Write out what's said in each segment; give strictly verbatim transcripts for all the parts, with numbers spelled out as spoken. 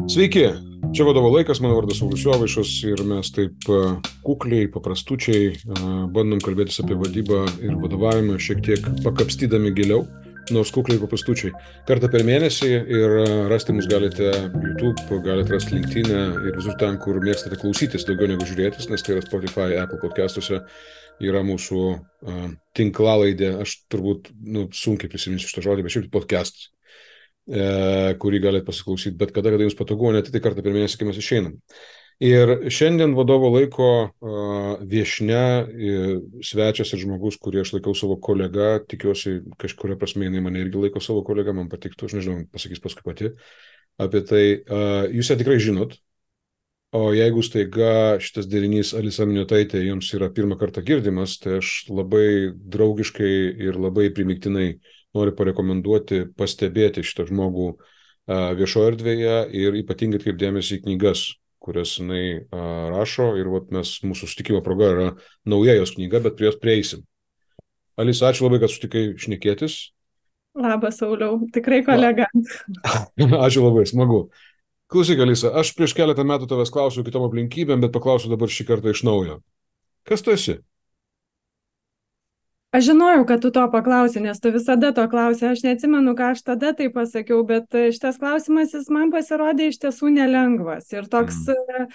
Sveiki, čia vadovo laikas, mano vardas Saulius Jovaišas ir mes taip kukliai, paprastučiai bandom kalbėtis apie vadybą ir vadovavimą, šiek tiek pakapstydami giliau, nors kukliai paprastučiai. Kartą per mėnesį ir rasti mus galite YouTube, galite rasti LinkedIn ir visur ten, kur mėgstate klausytis daugiau negu žiūrėtis, nes tai yra Spotify, Apple podcastuose yra mūsų uh, tinklalaidė, aš turbūt nu, sunkiai prisiminsiu šitą žodį, bet šiaip podcastas. Kurį galite pasiklausyti, bet kada, kada jums patogu, net tai kartą per mėnesį, kai mes išeinam. Ir šiandien vadovo laiko uh, viešnia, svečias ir žmogus, kurį aš laikau savo kolega, tikiuosi kažkuria prasme jinai mane irgi laiko savo kolega, man patiktų, aš nežinau, pasakys paskui pati apie tai. Uh, jūs ją tikrai žinot, o jeigu staiga šitas derinys Alisa Miniotaitė jums yra pirmą kartą girdimas, tai aš labai draugiškai ir labai primygtinai noriu parekomenduoti, pastebėti šitą žmogų a, viešoje erdvėje ir ypatingai atkreipdėmėsi į knygas, kurias jinai a, rašo ir vat, mes, mūsų sutikimo proga yra nauja jos knyga, bet prie jos prieisim. Alisa, ačiū labai, kad sutikai šnekėtis. Labas, Sauliau, tikrai kolega. Ačiū labai, smagu. Klausyk, Alisa, aš prieš keletą metų tavęs klausiau kitom aplinkybėm, bet paklausiu dabar šį kartą iš naujo. Kas tu esi? Aš žinojau, kad tu to paklausi, nes tu visada to klausi. Aš neatsimenu, ką aš tada tai pasakiau, bet šitas klausimas jis man pasirodė iš tiesų nelengvas ir toks mm.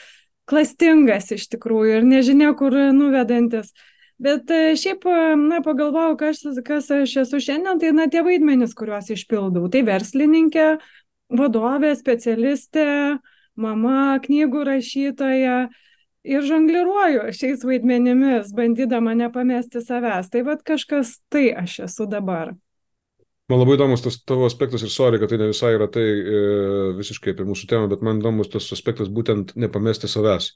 klastingas iš tikrųjų ir nežinia, kur nuvedantis. Bet šiaip, na, pagalvojau, kas, kas aš esu šiandien, tai, na, tie vaidmenys, kuriuos išpildau. Tai verslininkė, vadovė, specialistė, mama, knygų rašytoja. Ir žongliruoju šiais vaidmenimis, bandydama nepamesti savęs. Tai vat kažkas tai aš esu dabar. Man labai įdomus tas tavo aspektas ir sorry, kad tai ne visai yra tai e, visiškai apie mūsų temą, bet man įdomus tas aspektas būtent nepamesti savęs.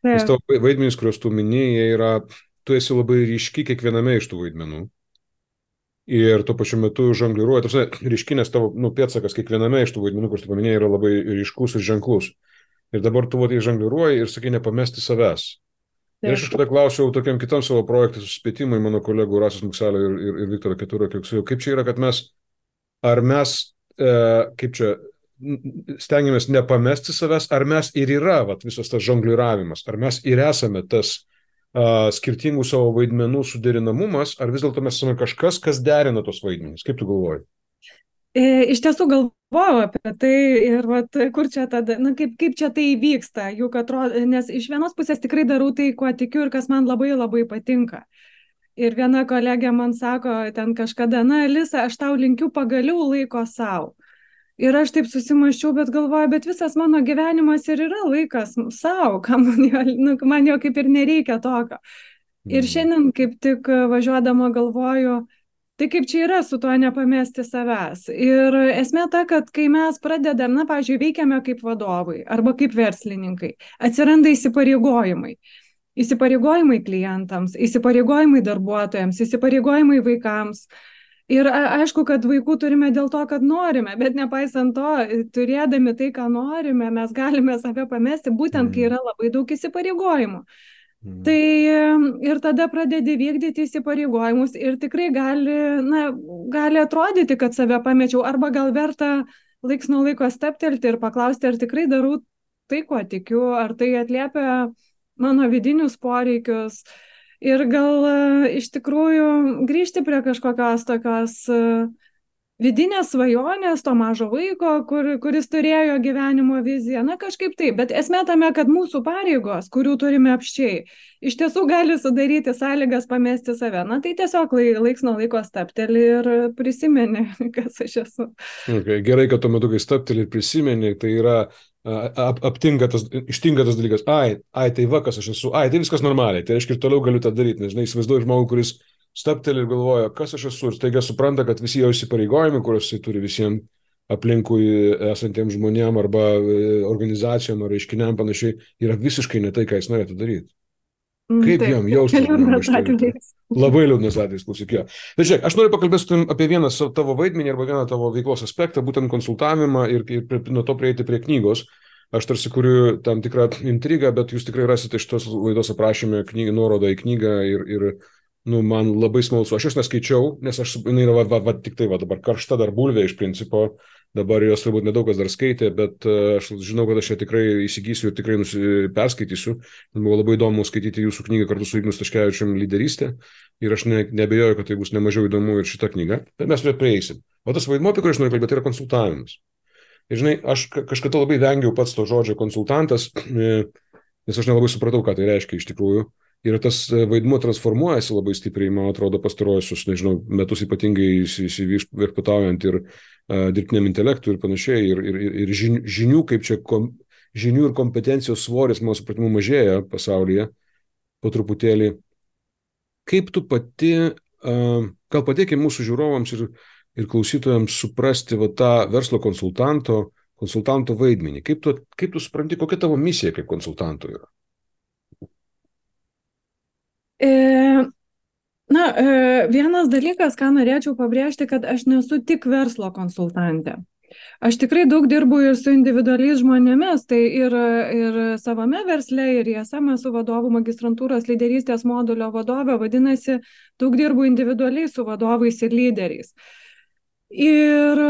Taip. Nes tavo vaidmenys, kuriuos tu mini, jie yra, tu esi labai ryški kiekviename iš tų vaidmenų. Ir tuo pačiu metu žongliruoji, tarsi ryškinės tavo nu, pėdsakas kiekviename iš tų vaidmenų, kuriuos tu paminėjai, yra labai ryškus ir ženklus. Ir dabar tu vadai žongliruoji ir sakai nepamesti savęs. Taip. Ir aš iš tada klausiau tokiam kitam savo projektui suspėtimui mano kolegų Rasos Mukselio ir, ir, ir Viktoro Keturo, kaip čia yra, kad mes, ar mes, e, kaip čia, stengiamės nepamesti savęs, ar mes ir yra vat, visas tas žongliravimas, ar mes ir esame tas a, skirtingų savo vaidmenų suderinamumas, ar vis dėlto mes esame kažkas, kas derina tos vaidmenys. Kaip tu galvoji? Iš tiesų galvojau apie tai ir vat, kur čia tada, na, kaip, kaip čia tai vyksta, juk atrodo, nes iš vienos pusės tikrai darau tai, kuo tikiu ir kas man labai labai patinka. Ir viena kolegė man sako ten kažkada, na, Alisa, aš tau linkiu pagaliau laiko savo. Ir aš taip susimąsčiau, bet galvoju, bet visas mano gyvenimas ir yra laikas savo, man jo, nu, man jo kaip ir nereikia tokio. Ir šiandien kaip tik važiuodama galvoju, tai kaip čia yra su tuo nepamesti savęs. Ir esmė ta, kad kai mes pradedam, na, pavyzdžiui, veikiame kaip vadovai arba kaip verslininkai, atsiranda įsipareigojimai. Įsipareigojimai klientams, įsipareigojimai darbuotojams, įsipareigojimai vaikams. Ir aišku, kad vaikų turime dėl to, kad norime, bet nepaisant to, turėdami tai, ką norime, mes galime save pamesti, būtent kai yra labai daug įsipareigojimų. Mm. Tai ir tada pradedi vykdyti įsipareigojimus ir tikrai gali, na, gali atrodyti, kad save pamečiau, arba gal verta laiks nuo laiko steptelti ir paklausti, ar tikrai darau tai, kuo tikiu, ar tai atliepia mano vidinius poreikius ir gal iš tikrųjų grįžti prie kažkokios tokios vidinės svajonės, to mažo vaiko, kur, kuris turėjo gyvenimo viziją, na kažkaip taip, bet esmė tame, kad mūsų pareigos, kurių turime apščiai, iš tiesų gali sudaryti sąlygas pamesti save. Na tai tiesiog laiks nuo laiko stapteli ir prisimeni, kas aš esu. Okay, gerai, kad tuo metu, kai stapteli ir prisimeni, tai yra ap, aptinka tas, ištinka tas dalykas, ai, ai, tai va, kas aš esu, ai, tai viskas normaliai, tai reiškia ir toliau galiu tą daryti, nes, žinai, įsivaizduoju žmogų, kuris stapteli ir galvoja, kas aš esu, ir staiga supranta, kad visi jo įsipareigojimai, kuriuos jis turi visiems aplinkui esantiems žmonėm arba organizacijom ar reiškiniam panašiai, yra visiškai ne tai, ką jis norėtų daryti. Kaip Taip, jam jaustis? Labai liūdnas atvejis, klausyk. Bet žiūrėk, aš noriu pakalbėti apie vieną tavo vaidmenį arba vieną tavo veiklos aspektą, būtent konsultavimą ir, ir nuo to prieiti prie knygos. Aš tarsi kuriu tam tikrą intrigą, bet jūs tikrai rasite šitos laidos aprašyme knygą, nuorodą į knygą ir, ir nu, man labai smalsu. Aš jos neskaičiau, nes aš, jinai yra va, va, va, tik tai va, dabar karšta dar bulvė iš principo, dabar jos turbūt nedaug kas dar skaitė, bet aš žinau, kad aš ją tikrai įsigysiu ir tikrai nusi, perskaitysiu. Man buvo labai įdomu skaityti jūsų knygą kartu su Ignu Staškevičium Lyderystė ir aš ne, nebejoju, kad tai bus nemažiau įdomu ir šita knyga, bet mes prie prieisim. O tas vaidmuo, apie kurį aš noriu kalbėti, yra konsultavimas. Ir žinai, aš kažkada labai vengiau pats to žodžio konsultantas, nes aš nelabai supratau, ką tai reiškia iš tikrųjų. Ir tas vaidmuo transformuojasi labai stipriai, man atrodo, pastaruosius, nežinau, metus ypatingai įsivirputaujant ir uh, dirbtiniam intelektui ir panašiai, ir, ir, ir žinių, žinių, kaip čia kom, žinių ir kompetencijos svoris, mano supratimu, mažėja pasaulyje po truputėlį. Kaip tu pati, uh, gal padėkime mūsų žiūrovams ir, ir klausytojams suprasti va, tą verslo konsultanto, konsultanto vaidmenį? Kaip tu, kaip tu supranti, kokia tavo misija kaip konsultanto yra? Na, vienas dalykas, ką norėčiau pabrėžti, kad aš nesu tik verslo konsultantė. Aš tikrai daug dirbu ir su individualiais žmonėmis, tai ir, ir savame versle, ir I S M esu vadovų magistrantūros lyderystės modulio vadovė, vadinasi, daug dirbu individualiai su vadovais ir lyderiais. Ir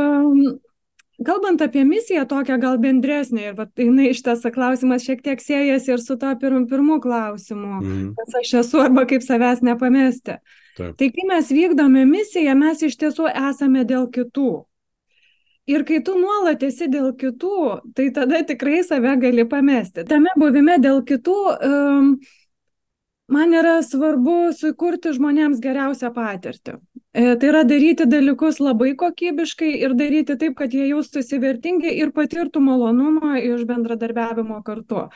kalbant apie misiją tokią gal bendresnė, ir vat, jinai šitas klausimas šiek tiek siejasi ir su to pirm, pirmu klausimu, mm. kas aš esu arba kaip savęs nepamesti. Taip. Tai kai mes vykdome misiją, mes iš tiesų esame dėl kitų. Ir kai tu nuolat esi dėl kitų, tai tada tikrai save gali pamesti. Tame buvime dėl kitų um, man yra svarbu sukurti žmonėms geriausią patirtį. E, tai yra daryti dalykus labai kokybiškai ir daryti taip, kad jie jaustųsi vertingi ir patirtų malonumą iš bendradarbiavimo kartu.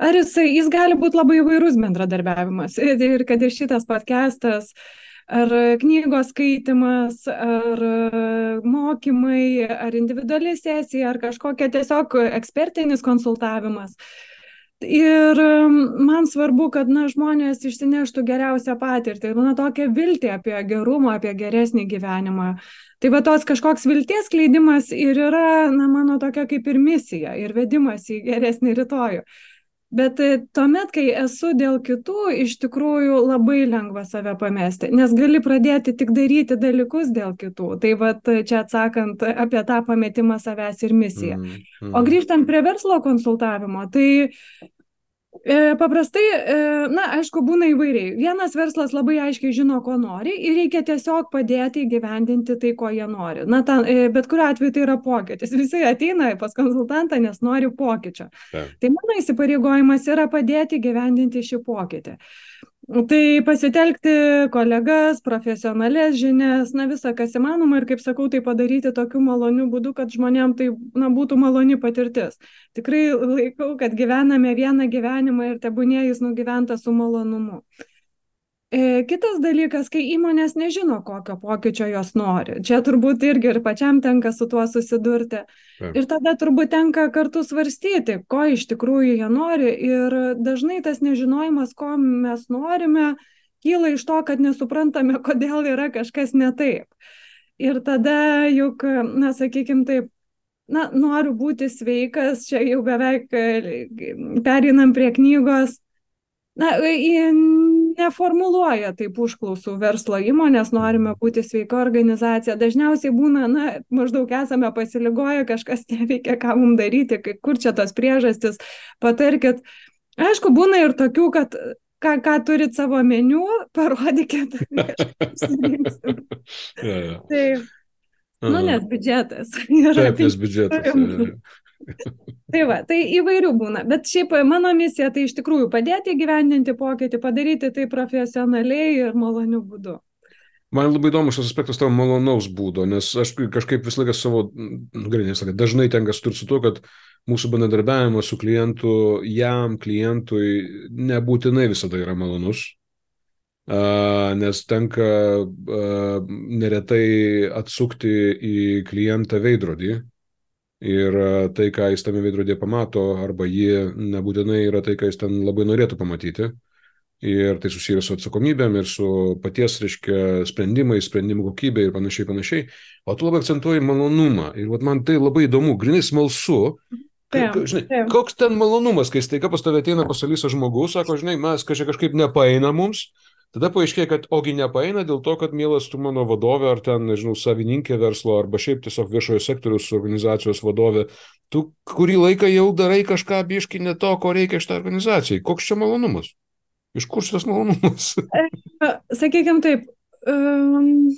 Ar jisai, jis gali būti labai įvairus bendradarbiavimas. Ir kad ir šitas podcastas, ar knygos skaitimas, ar mokymai, ar individuali sesija, ar kažkokia tiesiog ekspertinis konsultavimas. Ir man svarbu, kad na, žmonės išsineštų geriausią patirtį, na, tokią viltį apie gerumą, apie geresnį gyvenimą. Tai va tos kažkoks vilties skleidimas ir yra, na, mano tokia kaip ir misija ir vedimas į geresnį rytojų. Bet tuomet, kai esu dėl kitų, iš tikrųjų labai lengva save pamesti, nes gali pradėti tik daryti dalykus dėl kitų. Tai va čia atsakant apie tą pametimą savęs ir misiją. Mm, mm. O grįžtant prie verslo konsultavimo, tai e, paprastai, e, na, aišku, būna įvairiai. Vienas verslas labai aiškiai žino, ko nori ir reikia tiesiog padėti įgyvendinti tai, ko jie nori. Na, ta, e, bet kuriuo atveju tai yra pokytis. Visi ateina pas konsultantą, nes nori pokyčio. Ja. Tai mano įsipareigojimas yra padėti įgyvendinti šį pokytį. Tai pasitelkti kolegas, profesionalės žinias, na visą, kas įmanoma ir, kaip sakau, tai padaryti tokiu maloniu būdu, kad žmonėm tai na, būtų maloni patirtis. Tikrai laikau, kad gyvename vieną gyvenimą ir tebūnie jis nugyventas su malonumu. E, kitas dalykas, kai įmonės nežino, kokio pokyčio jos nori. Čia turbūt irgi ir pačiam tenka su tuo susidurti. Ja. Ir tada turbūt tenka kartu svarstyti, ko iš tikrųjų jie nori. Ir dažnai tas nežinojimas, ko mes norime, kyla iš to, kad nesuprantame, kodėl yra kažkas ne taip. Ir tada juk, na, sakykim taip, na, noriu būti sveikas, čia jau beveik pereinam prie knygos. Na, neformuluoja taip užklausų verslo įmonės, norime būti sveika organizacija. Dažniausiai būna, na, maždaug esame pasiligoję, kažkas neveikia, ką mums daryti, kur čia tos priežastis, patarkit. Aišku, būna ir tokių, kad ką, ką turit savo meniu, parodykit. ja, ja. Tai, nu, nes biudžetas. Taip, nes biudžetas. Ja, ja. Tai va, tai įvairių būna, bet šiaip mano misija tai iš tikrųjų padėti įgyvendinti pokytį, padaryti tai profesionaliai ir maloniu būdu. Man labai įdomus šis aspektas tavo malonaus būdo, nes aš kažkaip visą laiką savo, gerai, nesakė, dažnai tenka suturti su to, kad mūsų bendradarbiavimas su klientu, jam, klientui nebūtinai visada yra malonus, nes tenka neretai atsukti į klientą veidrodį. Ir tai, ką jis tame veidrodėje pamato, arba jie nebūtinai yra tai, ką jis ten labai norėtų pamatyti. Ir tai susiję su atsakomybėm ir su paties, reiškia, sprendimais, sprendimų kokybė ir panašiai, panašiai. O tu labai akcentuoji malonumą. Ir vat, man tai labai įdomu, grinai smalsu. Taip, žinai, taip. Koks ten malonumas, kai staiga pas tave ateina pasalysa žmogus, sako, žinai, mes kažkaip, kažkaip nepaeina mums, Tada paaiškėja, kad ogi nepaeina dėl to, kad mielas tu mano vadovė, ar ten, nežinau, savininkė verslo, arba šiaip tiesiog viešojo sektoriaus organizacijos vadovė, tu kurį laiką jau darai kažką biški ne to, ko reikia šitą organizacijai. Koks čia malonumas? Iš kur šitas malonumas? Sakykime taip, um,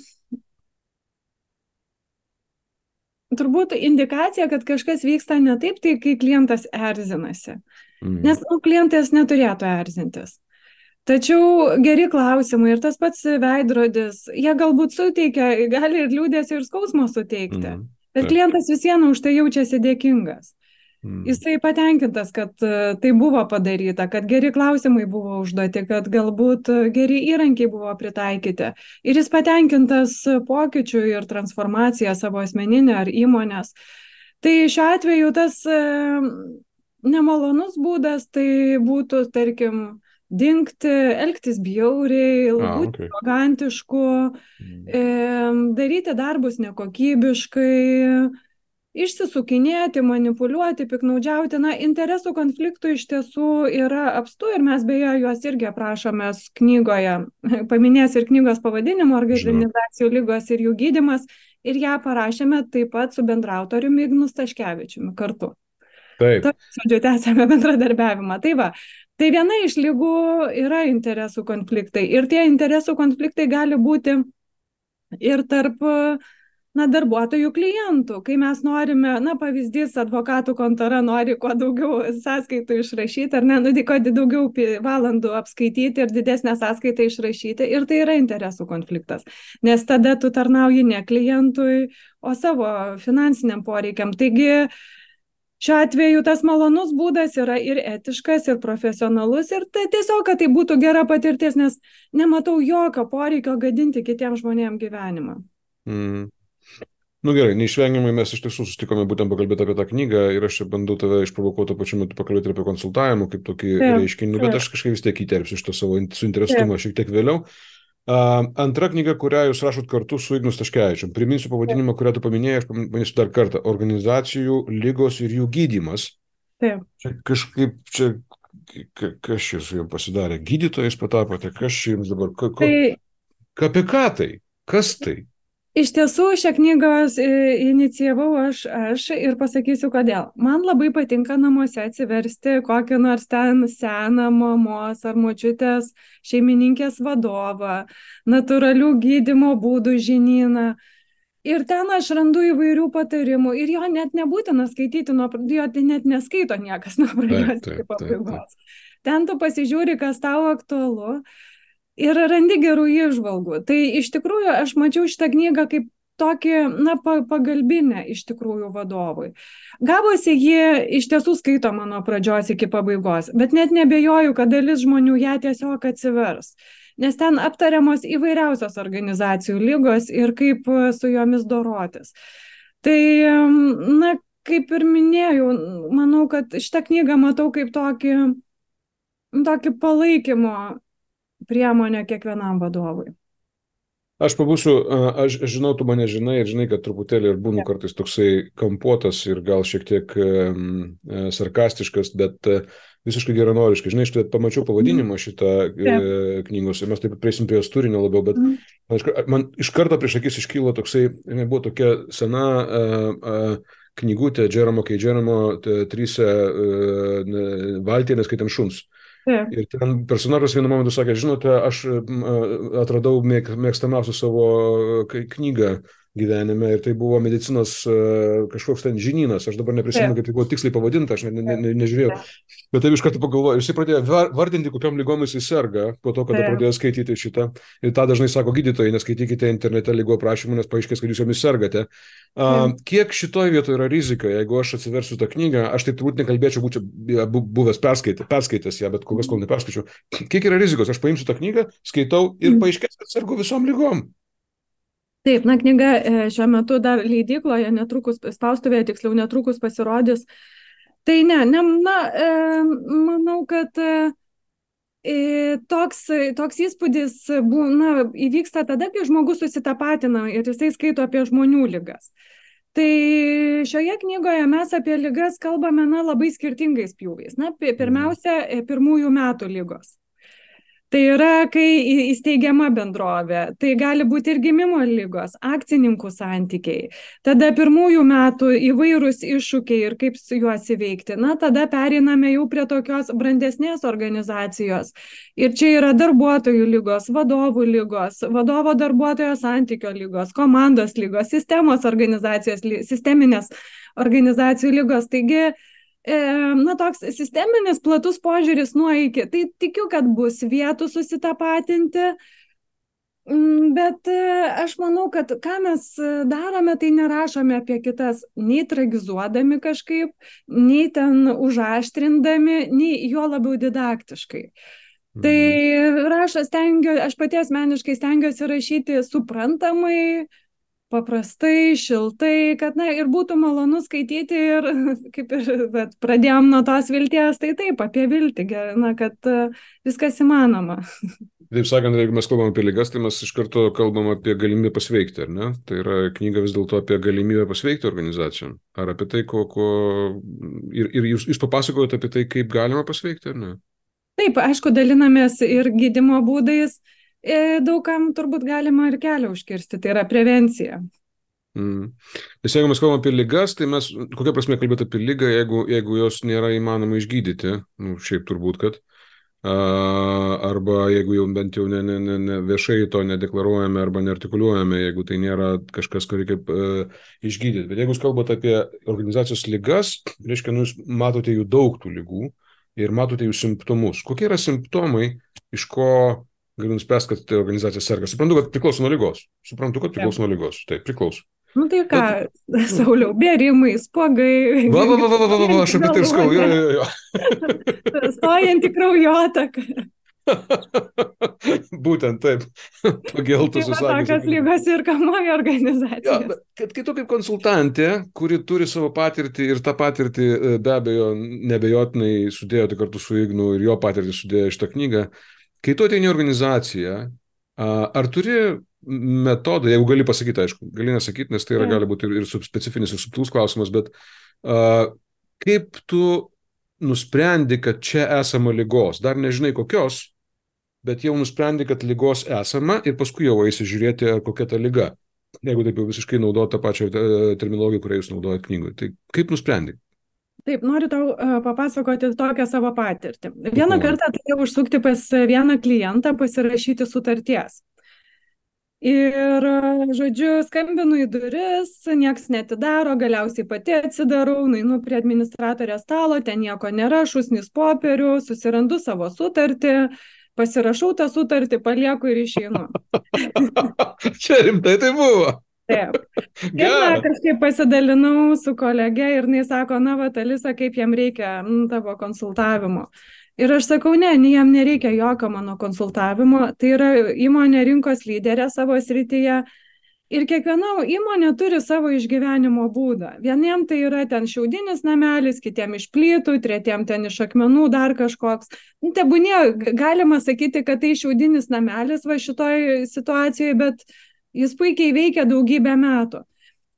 turbūt indikacija, kad kažkas vyksta ne taip, tai kai klientas erzinasi. Mm. Nes nu, klientas neturėtų erzintis. Tačiau geri klausimai ir tas pats veidrodis, jie galbūt suteikia, gali ir liūdėsį ir skausmo suteikti, mm. bet klientas vis viena už tai jaučiasi dėkingas. Mm. Jisai patenkintas, kad tai buvo padaryta, kad geri klausimai buvo užduoti, kad galbūt geri įrankiai buvo pritaikyti. Ir jis patenkintas pokyčių ir transformaciją savo asmeninę ar įmonės. Tai šiuo atveju tas e, nemalonus būdas tai būtų, tarkim, dingti, elgtis bjauriai, būti okay. arogantišku, e, daryti darbus nekokybiškai, išsisukinėti, manipuliuoti, piknaudžiauti. Na, interesų konfliktų iš tiesų yra apstu ir mes beje juos irgi aprašome knygoje. Paminės ir knygos pavadinimo organizacijų lygos ir jų gydymas. Ir ją parašėme taip pat su bendraautoriumi Ignu Staškevičiumi kartu. Taip. Žodžiu, tęsėme bendradarbiavimą. Tai va, tai viena iš lygų yra interesų konfliktai. Ir tie interesų konfliktai gali būti ir tarp na, darbuotojų klientų. Kai mes norime, na, pavyzdys, advokatų kontora nori kuo daugiau sąskaitų išrašyti, ar ne, nu, kuo daugiau valandų apskaityti ir didesnę sąskaitą išrašyti. Ir tai yra interesų konfliktas. Nes tada tu tarnauji ne klientui, o savo finansiniam poreikiam. Taigi, šiuo atveju tas malonus būdas yra ir etiškas, ir profesionalus, ir tai tiesiog, kad tai būtų gera patirtis, nes nematau jokio poreikio gadinti kitiems žmonėms gyvenimą. Mm. Nu gerai, neišvengiamai mes iš tiesų sustikome būtent pakalbėti apie tą knygą ir aš čia bandau tave išprovokuoti pačiu metu pakalbėti apie konsultavimą kaip tokį reiškinį, bet aš kažkaip vis tiek įterpsiu šitą savo suinteresumą šiek tiek vėliau. Uh, antra knyga, kurią jūs rašot kartu su Ignu Staškevičium. Priminsiu pavadinimą, kurią tu paminėjai, aš paminėsiu dar kartą. Organizacijų lygos ir jų gydymas. Taip. Čia kažkaip, čia, kas čia su jums pasidarė? Gydytojais patapote? Kas čia jums dabar? Ka, ka, tai... Apie ką tai? Kas tai? Iš tiesų, šią knygą inicijavau aš, aš ir pasakysiu, kodėl. Man labai patinka namuose atsiversti kokį nors ten seną mamos ar močiutės šeimininkės vadovą, natūralių gydymo būdų žinyną. Ir ten aš randu įvairių patarimų ir jo net nebūtina skaityti, nuo, jo net neskaito niekas nuo pradžios iki pabaigos. Ten tu pasižiūri, kas tau aktualu. Ir randi gerų įžvalgų. Tai iš tikrųjų aš mačiau šitą knygą kaip tokį, na, pagalbinę iš tikrųjų vadovui. Gavosi jie iš tiesų skaito mano pradžios iki pabaigos, bet net nebejoju, kad dalis žmonių ją tiesiog atsivers. Nes ten aptariamos įvairiausios organizacijų lygos ir kaip su jomis dorotis. Tai, na, kaip ir minėjau, manau, kad šitą knygą matau kaip tokį, tokį palaikymo priemonė kiekvienam vadovui. Aš pabūsiu, aš žinau, tu mane žinai ir žinai, kad truputėlį ir būnu kartais toksai kampuotas ir gal šiek tiek um, sarkastiškas, bet uh, visiškai geranoriškai. Žinai, aš pamačiau pavadinimą šitą uh, knygos ir mes taip preisim prie jos turinio labiau, bet mm. man, man iš karto prieš akis iškylo toksai, buvo tokia sena uh, uh, knygutė Džeromo K. Džeromo trise uh, valtį, neskaitant šuns. Yeah. Ir ten personažas vienu momentu sakė, žinote, aš atradau mėg, mėgstamiausią savo knygą gyvenime ir tai buvo medicinos kažkoks ten žinynas, aš dabar neprisimenu, kaip tai buvo tiksliai pavadinta, aš ne, ne, ne, nežiūrėjau, bet taip iš karto pagalvoju, jisai pradėjo vardinti, kokiam lygom jisai serga, po to, kada pradėjo skaityti šitą, ir tą dažnai sako gydytojai, neskaitykite internete lygų aprašymų, nes paaiškės, kad jūs jomis sergate. Uh, kiek šitoje vietoje yra rizika, jeigu aš atsiversiu tą knygą, aš taip turbūt nekalbėčiau, būčiau buvęs perskaitę, perskaitęs ją, bet kol kas kol neperskaičiau, kiek yra rizikos, aš paimsiu tą knygą, skaitau ir paaiškės, kad sergu visom lygom. Taip, na, knyga šiuo metu dar leidykloje, netrukus, spaustuvėje tiksliau netrukus pasirodys. Tai ne, ne na, e, manau, kad e, toks, toks įspūdis bu, na, įvyksta tada, kai žmogus susitapatina ir jisai skaito apie žmonių ligas. Tai šioje knygoje mes apie ligas kalbame, na, labai skirtingais pjūviais. Na, pirmiausia, pirmųjų metų ligos. Tai yra, kai į- įsteigiama bendrovė, tai gali būti ir gimimo ligos, akcininkų santykiai, tada pirmųjų metų įvairūs iššūkiai ir kaip su juos įveikti. Na, tada pereiname jau prie tokios brandesnės organizacijos. Ir čia yra darbuotojų lygos, vadovų lygos, vadovo darbuotojo santykio lygos, komandos lygos, sistemos organizacijos, ly- sisteminės organizacijų lygos. Taigi, na, toks sisteminis platus požiūris nuo iki. Tai tikiu, kad bus vietų susitapatinti, bet aš manau, kad ką mes darome, tai nerašome apie kitas, nei tragizuodami kažkaip, nei ten užaštrindami, nei juo labiau didaktiškai. Tai rašo stengiu, aš pati asmeniškai stengiuosi rašyti suprantamai, paprastai, šiltai, kad, na, ir būtų malonu skaityti ir, kaip ir, bet pradėjom nuo tos vilties, tai taip, apie viltį, na, kad viskas įmanoma. Taip sakant, jeigu mes kalbam apie ligas, tai mes iš karto kalbam apie galimybę pasveikti, ar ne? Tai yra knyga vis dėlto apie galimybę pasveikti organizacijom. Ar apie tai, ko... ko... Ir, ir jūs, jūs papasakojate apie tai, kaip galima pasveikti, ar ne? Taip, aišku, dalinamės ir gydymo būdais. Daugam turbūt galima ir kelią užkirsti, tai yra prevencija. Mm. Nes jeigu mes kalbame apie ligas, tai mes, kokia prasme kalbėti apie ligą, jeigu, jeigu jos nėra įmanoma išgydyti, nu, šiaip turbūt, kad, uh, arba jeigu jau bent jau ne, ne, ne, ne viešai to nedeklaruojame arba neartikuliuojame, jeigu tai nėra kažkas, ko reikia uh, išgydyti. Bet jeigu jūs kalbate apie organizacijos ligas, reiškia, nu, jūs matote jų daug tų ligų ir matote jų simptomus. Kokie yra simptomai, iš ko galiu nuspręsti, kad tai organizacija serga? Suprantu, kad priklauso nuo ligos. Suprantu, kad priklauso nuo ligos. Taip, priklauso. Nu tai ką, bet... Sauliau, bėrimai, spuogai. Va, va, va, va, va, va, va, aš apie tai ir skau. Jo, jo, jo. Stojant į kraujotaką. Būtent taip. Pageltus užsakymus. Tai tokios lygos ir kamuoja organizacijos. Ja, kad kai tu kaip konsultantė, kuri turi savo patirtį ir tą patirtį be abejo nebejotinai sudėjote kartu su Ignu ir jo patirtį sudėjo šitą knygą, kai tu ateini į organizaciją, ar turi metodą, jeigu gali pasakyti, aišku, gali nesakyti, nes tai yra, gali būti ir, ir specifinis, ir subtilus klausimas, bet uh, kaip tu nusprendi, kad čia esama ligos, dar nežinai kokios, bet jau nusprendi, kad ligos esama ir paskui jau eisi žiūrėti, kokia ta liga, jeigu taip jau visiškai naudoti tą pačią terminologiją, kurią jūs naudojate knygoje. Tai kaip nusprendi? Taip, noriu tau uh, papasakoti tokią savo patirtį. Vieną kartą turėjau užsukti pas vieną klientą pasirašyti sutarties. Ir, žodžiu, skambinu į duris, nieks netidaro, galiausiai pati atsidarau, nueinu prie administratorės stalo, ten nieko nėra, šūsnis popierių, susirandu savo sutartį, pasirašau tą sutartį, palieku ir išeinu. Čia rimtai tai buvo. Taip. Ir na, kažkaip pasidalinau su kolege ir jis sako, na, va, Alisa, kaip jam reikia m, tavo konsultavimo. Ir aš sakau, ne, jam nereikia jokio mano konsultavimo, tai yra įmonė rinkos lyderė savo srityje ir kiekviena įmonė turi savo išgyvenimo būdą. Vieniem tai yra ten šiaudinis namelis, kitiem iš plytų, tretiem ten iš akmenų, dar kažkoks. Tebūnie, galima sakyti, kad tai šiaudinis namelis va šitoj situacijoje, bet jis puikiai veikia daugybę metų.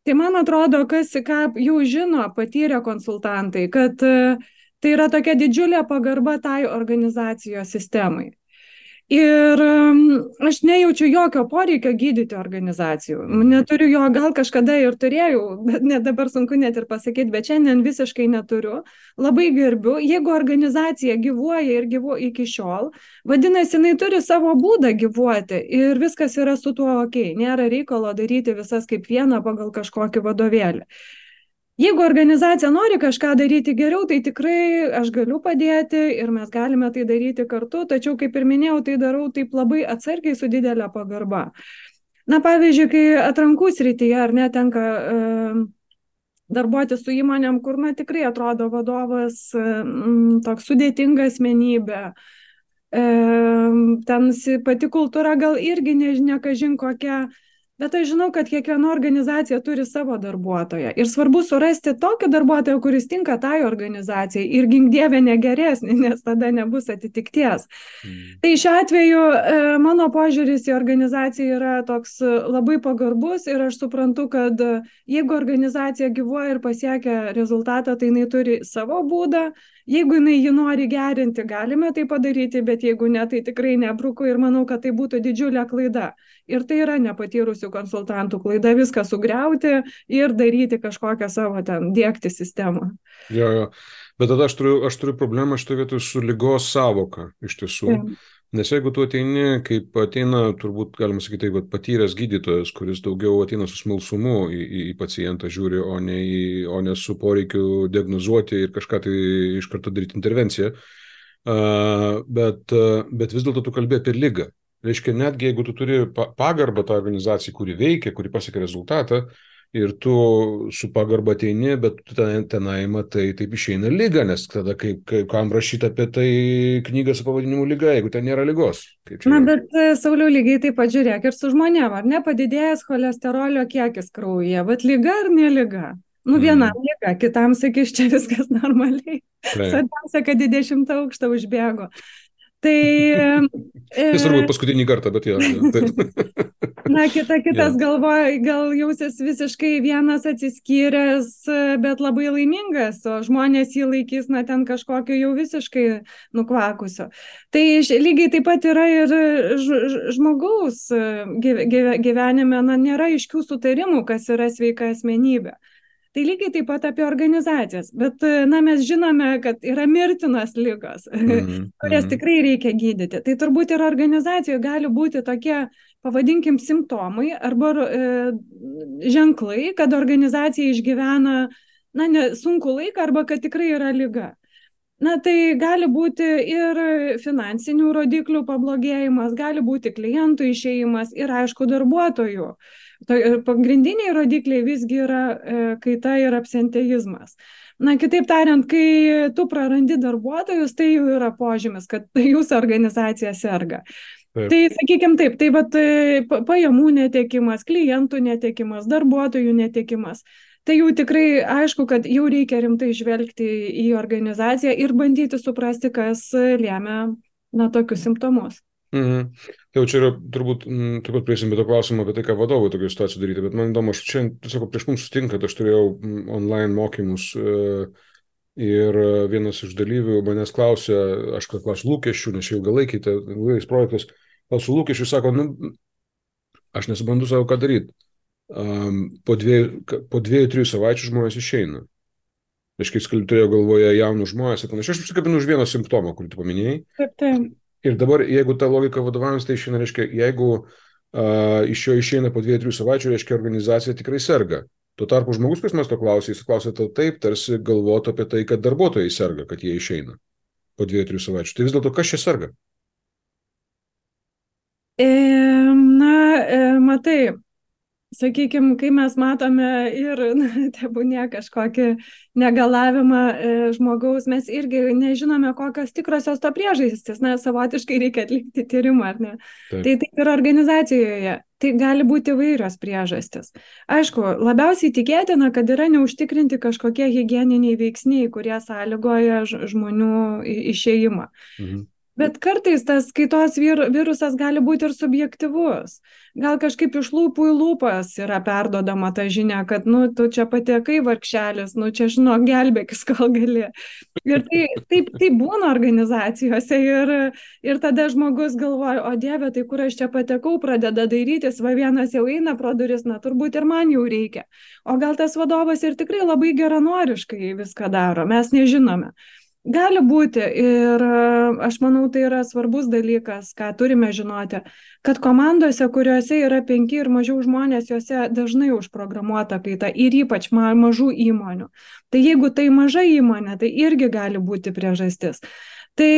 Tai man atrodo, kas ką jau žino patyrę konsultantai, kad tai yra tokia didžiulė pagarba tai organizacijos sistemai. Ir aš nejaučiu jokio poreikio gydyti organizacijų. Neturiu jo, gal kažkada ir turėjau, bet net dabar sunku net ir pasakyti, bet šiandien visiškai neturiu. Labai gerbiu. Jeigu organizacija gyvuoja ir gyvuoja iki šiol, vadinasi, jinai turi savo būdą gyvuoti ir viskas yra su tuo ok. Nėra reikalo daryti visas kaip vieną pagal kažkokį vadovėlį. Jeigu organizacija nori kažką daryti geriau, tai tikrai aš galiu padėti ir mes galime tai daryti kartu, tačiau, kaip ir minėjau, tai darau taip labai atsargiai su didelė pagarba. Na, pavyzdžiui, kai atrankų srityje ar netenka e, darbuoti su įmonėm, kur, na, tikrai atrodo vadovas e, toks sudėtinga asmenybė, e, ten pati kultūra gal irgi nežinia, kažin kokia. Bet aš žinau, kad kiekviena organizacija turi savo darbuotoją. Ir svarbu surasti tokį darbuotoją, kuris tinka tai organizacijai. Ir gink dieve negeresnį, nes tada nebus atitikties. Mm. Tai šiuo atveju mano požiūris į organizaciją yra toks labai pagarbus ir aš suprantu, kad jeigu organizacija gyvuoja ir pasiekia rezultatą, tai jinai turi savo būdą. Jeigu jinai jį nori gerinti, galime tai padaryti, bet jeigu ne, tai tikrai nebruku ir manau, kad tai būtų didžiulė klaida. Ir tai yra nepatyrusių konsultantų klaida viską sugriauti ir daryti kažkokią savo ten, dėkti sistemą. Jo, jo. Bet tada aš turiu, aš turiu problemą šitoje vietoje su lygos savoka iš tiesų. Ja. Nes jeigu tu ateini, kaip ateina, turbūt galima sakyti, taip, patyręs gydytojas, kuris daugiau ateina su smalsumu į, į, į pacientą žiūri, o ne, į, o ne su poreikiu diagnozuoti ir kažką tai iš karto daryti intervenciją, uh, bet, uh, bet vis dėlto tu kalbė apie ligą. Reiškia, netgi jeigu tu turi pagarbą tą organizaciją, kuri veikia, kuri pasiekia rezultatą, ir tu su pagarba ateini, bet tu ten, tenai matai, taip išeina lyga, nes tada kaip, kaip kam rašyti apie tai knygą su pavadinimu lyga, jeigu ten nėra lygos. Na, bet Sauliau, lygiai taip pat žiūrėk ir su žmonėm, ar ne, padidėjęs cholesterolio kiekis kraujyje, bet lyga ar ne lyga? Nu, vienam mm. lyga, kitam sakys, čia viskas normaliai. Svarbiausia, kad į dešimtą aukštą užbėgo. Tai... Tai turbūt paskutinį kartą, bet jau. Na, kita, kitas ja. galvoja, gal jausis visiškai vienas atsiskyręs, bet labai laimingas, o žmonės jį laikys, na, ten kažkokio jau visiškai nukvakusio. Tai lygiai taip pat yra ir žmogaus gyvenime, na, nėra aiškių sutarimų, kas yra sveika asmenybė. Tai lygiai taip pat apie organizacijas, bet, na, mes žinome, kad yra mirtinos ligos, mm-hmm. kurias tikrai reikia gydyti. Tai turbūt ir organizacijoje gali būti tokie, pavadinkim, simptomai arba e, ženklai, kad organizacija išgyvena, na, ne, sunkų laiką arba kad tikrai yra liga. Na, tai gali būti ir finansinių rodiklių pablogėjimas, gali būti klientų išėjimas ir, aišku, darbuotojų. Pagrindiniai rodikliai visgi yra kaita ir absenteizmas. Na, kitaip tariant, kai tu prarandi darbuotojus, tai jau yra požymis, kad jūsų organizacija serga. Taip. Tai, sakykime taip, tai vat, pajamų netekimas, klientų netekimas, darbuotojų netekimas. Tai jau tikrai aišku, kad jau reikia rimtai žvelgti į organizaciją ir bandyti suprasti, kas lėmė, na, tokius simptomus. Mhm. Tai jau čia yra, turbūt, m, taip pat priesim be to klausimą apie tai, ką vadovai tokių situacijų daryti, bet man įdomu, aš čia, tiesiog prieš mums sutinkat, aš turėjau online mokymus e, ir vienas iš dalyvių manęs klausė, aš klausiu lūkesčių, nes čia ilgalaikiai, tai ilgais projektais, klausiu lūkesčių, sako, nu, aš nesuprantu savo, ką daryti. Um, po dviejų, po dviejų, trijų savaičių žmonės išeina. Aš kai turėjau galvoje jaunus žmonės, ir panašiai, aš apsikabinu už vieną simptomą, kurį tu paminėjai. Taip, taip. Ir dabar, jeigu ta logika vadovavimas, tai išeina, reiškia, jeigu uh, iš jo išeina po dviejų, trijų savaičių, reiškia, organizacija tikrai serga. Tuo tarpu žmogus, kas mes to klausė, jis klausė tau taip, tarsi galvotų apie tai, kad darbuotojai serga, kad jie išeina po dviejų, trijų savaičių. Tai vis dėlto, kas čia serga? E, na, e, matai, sakykime, kai mes matome ir, na, tebūnie kažkokį negalavimą e, žmogaus, mes irgi nežinome, kokios tikrosios to priežastys, na, savotiškai reikia atlikti tyrimą, ar ne? Taip. Tai taip ir organizacijoje, tai gali būti įvairios priežastys. Aišku, labiausiai tikėtina, kad yra neužtikrinti kažkokie higieniniai veiksniai, kurie sąlygoja žmonių išėjimą. Mhm. Bet kartais tas kaitos vir, virusas gali būti ir subjektyvus. Gal kažkaip iš lūpų į lūpas yra perdodama ta žinia, kad, nu, tu čia patekai vargšelis, nu, čia, žinok, gelbėkis, kol gali. Ir tai, taip, taip būna organizacijose ir, ir tada žmogus galvoja, o Dieve, tai kur aš čia patekau, pradeda dairytis, va vienas jau eina pro duris, na, turbūt ir man jau reikia. O gal tas vadovas ir tikrai labai geranoriškai viską daro, mes nežinome. Gali būti ir aš manau, tai yra svarbus dalykas, ką turime žinoti, kad komandose, kuriuose yra penki ir mažiau žmonės, juose dažnai užprogramuota kaita ir ypač ma mažų įmonių. Tai jeigu tai maža įmonė, tai irgi gali būti priežastis. Tai,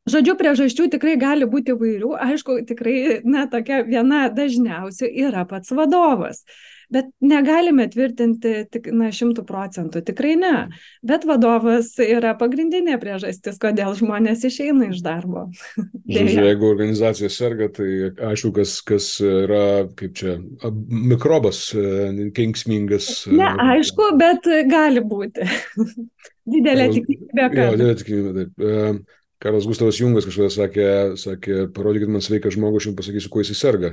žodžiu, priežasčių tikrai gali būti įvairių. Aišku, tikrai, na, tokia viena dažniausių yra pats vadovas. Bet negalime tvirtinti tik, na, šimtų procentų, tikrai ne. Bet vadovas yra pagrindinė priežastis, kodėl žmonės išeina iš darbo. Žodžiu, jeigu organizacija serga, tai aišku, kas, kas yra, kaip čia, mikrobas kenksmingas. Ne, aišku, bet gali būti. Didelė tikimybė, kad. Jo, didelė tikimybė, taip. Karlas Gustavas Jungas kažkada sakė, sakė, parodykit man sveiką žmogų, aš jums pasakysiu, kuo jis serga.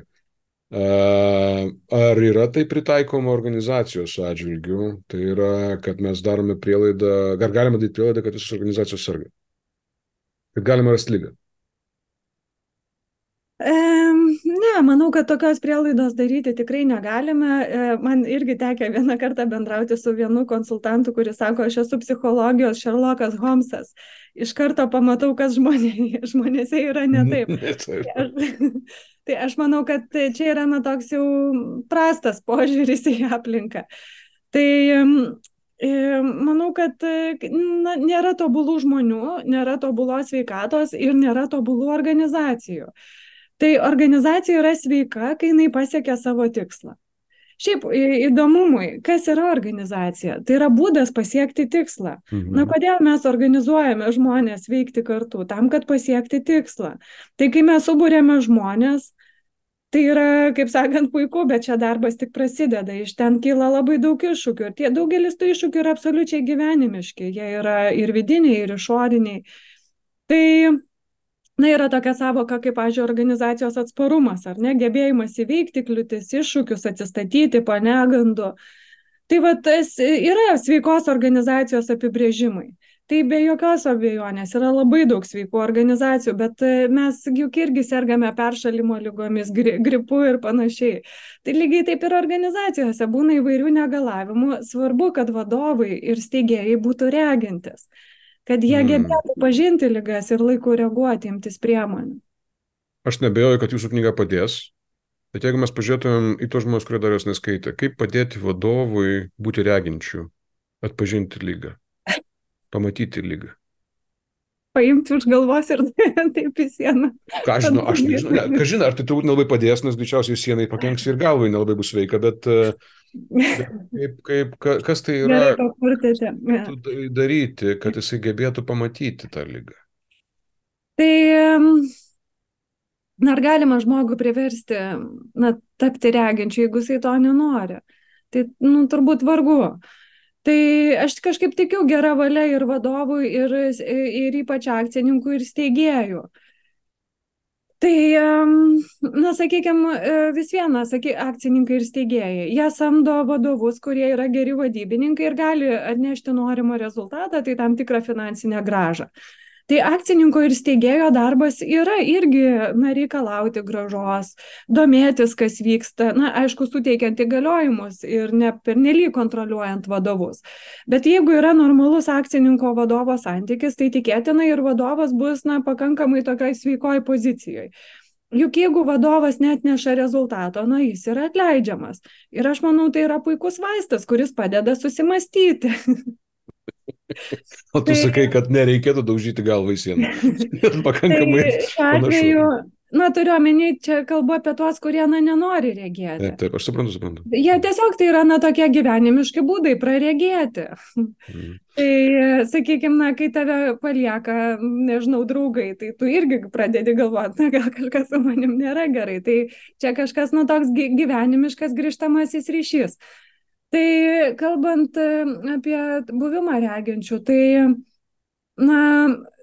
Ar yra tai pritaikoma organizacijos atžvilgių? Tai yra, kad mes darome prielaidą, ar galime daryti prielaidą, kad visos organizacijos serga? Kad galima rasti lygą? E, ne, manau, kad tokios prielaidos daryti tikrai negalime. E, man irgi tekė vieną kartą bendrauti su vienu konsultantu, kuris sako, aš esu psichologijos Sherlockas Holmsas. Iš karto pamatau, kas žmonė, žmonėse yra ne taip. Ne taip. Tai aš, tai aš manau, kad čia yra na, toks jau prastas požiūris į aplinką. Tai manau, kad na, nėra tobulų žmonių, nėra tobulos sveikatos ir nėra tobulų organizacijų. Tai organizacija yra sveika, kai jinai pasiekia savo tikslą. Šiaip įdomumui, kas yra organizacija? Tai yra būdas pasiekti tikslą. Mhm. Na, kodėl mes organizuojame žmonės veikti kartu? Tam, kad pasiekti tikslą. Tai kai mes subūrėme žmonės, tai yra, kaip sakant, puiku, bet čia darbas tik prasideda. Iš ten kyla labai daug iššūkių. Ir tie daugelis tų iššūkių yra absoliučiai gyvenimiški. Jie yra ir vidiniai, ir išoriniai. Tai na, yra tokia savoka, kaip, pavyzdžiui, organizacijos atsparumas, ar ne, gebėjimas įveikti kliūtis, iššūkius, atsistatyti po negandų. Tai va, tas yra sveikos organizacijos apibrėžimai. Tai be jokios abejonės yra labai daug sveikų organizacijų, bet mes juk irgi sergame peršalimo ligomis, gripu ir panašiai. Tai lygiai taip ir organizacijose būna įvairių negalavimų. Svarbu, kad vadovai ir steigėjai būtų regintis, kad jie gebėtų pažinti ligas ir laiku reaguoti, imtis priemonių. Aš nebejoju, kad jūsų knyga padės, bet jeigu mes pažiūrėtumėm į tos žmonės, kurie dar jos neskaitė, kaip padėti vadovui būti reginčiu, atpažinti ligą, pamatyti ligą? Paimti už galvos ir taip į sieną. Ką žinau, aš nežinau, ne, ką žinau, ar tai turbūt nelabai padės, nes greičiausiai sienai pakenks ir galvai nelabai bus sveika, bet Kaip, kaip, kas tai yra daryti, kad jisai gebėtų pamatyti tą ligą? Tai ar galima žmogų priversti na, tapti reginčiu, jeigu jisai to nenori? Tai nu, turbūt vargu. Tai aš kažkaip tikiu gerą valią ir vadovui, ir, ir ypač akcininkų ir steigėjų. Tai, na, sakykime, vis viena, saky, akcininkai ir steigėjai, jie samdo vadovus, kurie yra geri vadybininkai ir gali atnešti norimą rezultatą, tai tam tikrą finansinę grąžą. Tai akcininko ir steigėjo darbas yra irgi, na, reikalauti grąžos, domėtis, kas vyksta, na, aišku, suteikiant įgaliojimus ir ne pernelyg kontroliuojant vadovus. Bet jeigu yra normalus akcininko vadovo santykis, tai tikėtina ir vadovas bus, na, pakankamai tokioj sveikoj pozicijoje. Juk jeigu vadovas neatneša rezultato, na, jis yra atleidžiamas. Ir aš manau, tai yra puikus vaistas, kuris padeda susimastyti. O tu tai, sakai, kad nereikėtų daužyti galvą į sieną. Pakankamai tai, atveju, na, turiu omeny, čia kalbu apie tuos, kurie, na, nenori regėti. Taip, taip, aš suprantu, suprantu. Jie tiesiog tai yra, na, tokie gyvenimiški būdai praregėti. Mm. Tai, sakykime, na, kai tave palieka, nežinau, draugai, tai tu irgi pradedi galvoti, na, gal kažkas su manim nėra gerai. Tai čia kažkas, na, toks gyvenimiškas grįžtamasis ryšys. Tai kalbant apie buvimą reginčių, tai, na,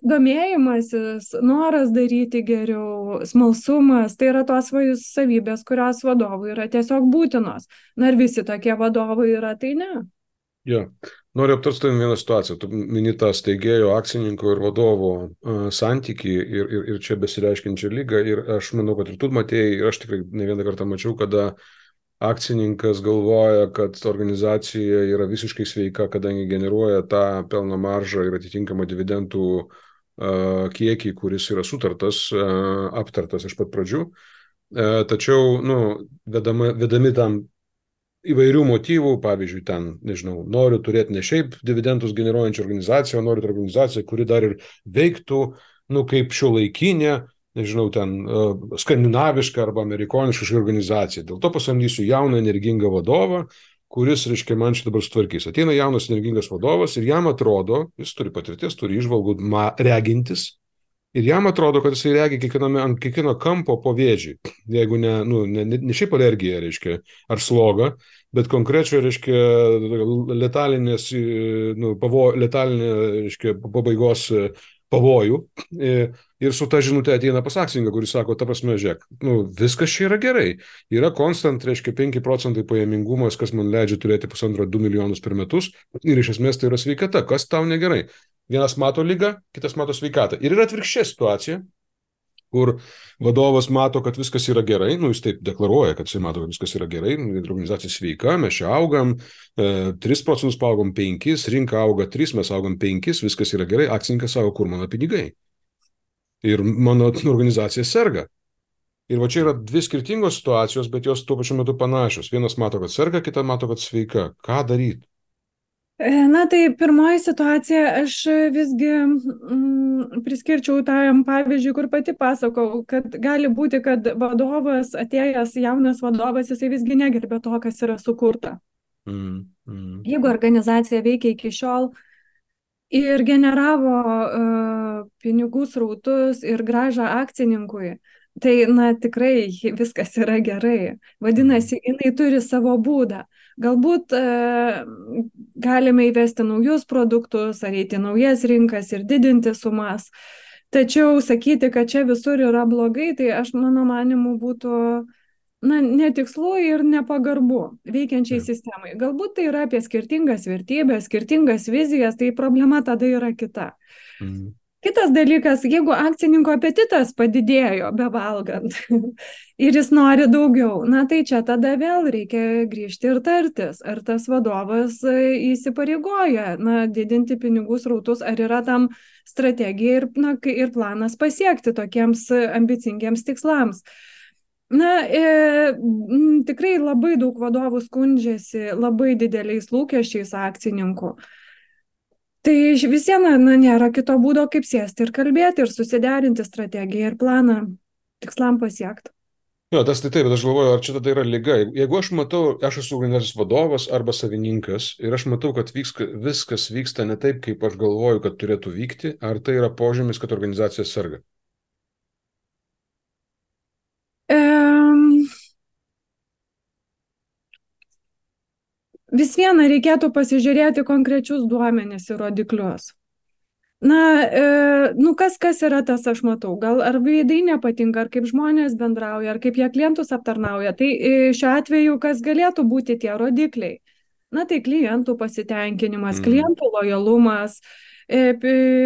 domėjimasis, noras daryti geriau, smalsumas, tai yra tos savybės, kurios vadovui yra tiesiog būtinos. Na ir visi tokie vadovai yra, tai ne. Ja. Noriu aptarti vieną situaciją. Tu mini tą steigėjo, akcininko ir vadovo uh, santykį ir, ir, ir čia besireiškiančią lygą. Ir aš manau, kad ir tu matėjai, ir aš tikrai ne vieną kartą mačiau, kada akcininkas galvoja, kad organizacija yra visiškai sveika, kadangi generuoja tą pelno maržą ir atitinkamą dividendų uh, kiekį, kuris yra sutartas, uh, aptartas iš pat pradžių. Uh, tačiau, nu, vedama, vedami tam įvairių motyvų, pavyzdžiui, ten, nežinau, noriu turėti ne šiaip dividendus generuojančią organizaciją, o noriu turėti organizaciją, kuri dar ir veiktų, nu, kaip šiuolaikinė, nežinau, ten uh, skandinavišką arba amerikonišką organizaciją. Dėl to pasamdysiu jauną energingą vadovą, kuris, reiškia, man šitą dabar sutvarkys. Ateina jaunas energingas vadovas ir jam atrodo, jis turi patirties, turi išvalgų regintis, ir jam atrodo, kad jisai regi kiekviename, ant kiekvieno kampo po vėžį. Jeigu ne, nu, ne, ne šiaip alergija, reiškia, ar sloga, bet konkrečio, reiškia, letalinės, nu, pavo, letalinė, reiškia, pabaigos pavojų. Ir su ta žinutė ateina pas akcininką, kuris sako, ta prasme, žiūrėk, nu, viskas čia yra gerai. Yra konstant, reiškia, penki procentai pajamingumas, kas man leidžia turėti pusantro du milijonus per metus. Ir iš esmės tai yra sveikata. Kas tau negerai? Vienas mato lygą, kitas mato sveikatą. Ir yra atvirkščia situacija, kur vadovas mato, kad viskas yra gerai, nu jis taip deklaruoja, kad jis mato, kad viskas yra gerai, organizacija sveika, mes čia augam, e, tris procentus paaugom penkis, rinka auga tris, mes augam penkis, viskas yra gerai, akcininkas sako, kur mano pinigai. Ir mano organizacija serga. Ir va čia yra dvi skirtingos situacijos, bet jos tuo pačiu metu panašios. Vienas mato, kad serga, kita mato, kad sveika. Ką daryti? Na tai pirmoji situacija, aš visgi mm, priskirčiau tam pavyzdžiui, kur pati pasakau, kad gali būti, kad vadovas, atėjęs jaunas vadovas, jisai visgi negerbė to, kas yra sukurta. Mm, mm. Jeigu organizacija veikia iki šiol ir generavo uh, pinigų srautus ir grąžą akcininkui, tai, na, tikrai viskas yra gerai. Vadinasi, jinai turi savo būdą. Galbūt e, galime įvesti naujus produktus, ar eiti naujas rinkas ir didinti sumas. Tačiau sakyti, kad čia visur yra blogai, tai aš, mano manimu, būtų, na, netikslu ir nepagarbu veikiančiai sistemai. Galbūt tai yra apie skirtingas vertybės, skirtingas vizijas, tai problema tada yra kita. Mm. Kitas dalykas, jeigu akcininko apetitas padidėjo bevalgant ir jis nori daugiau, na tai čia tada vėl reikia grįžti ir tartis, ar tas vadovas įsipareigoja, na, didinti pinigų srautus, ar yra tam strategija ir, na, ir planas pasiekti tokiems ambicingiems tikslams. Na, e, tikrai labai daug vadovų skundžiasi labai dideliais lūkesčiais akcininkų. Tai vis viena, na, nėra kito būdo, kaip sėsti ir kalbėti ir susiderinti strategiją ir planą tikslam pasiekti. Jo, tas tai taip, bet aš galvoju, ar čia tada yra liga. Jeigu aš matau, aš esu organizacijos vadovas arba savininkas ir aš matau, kad vyks, viskas vyksta ne taip, kaip aš galvoju, kad turėtų vykti, ar tai yra požymis, kad organizacija serga? Um... Vis viena reikėtų pasižiūrėti konkrečius duomenis ir rodiklius. Na, e, nu kas, kas yra tas, aš matau, gal ar veidai nepatinka, ar kaip žmonės bendrauja, ar kaip jie klientus aptarnauja. Tai e, šiuo atveju, kas galėtų būti tie rodikliai? Na, tai klientų pasitenkinimas, mm. klientų lojalumas, e,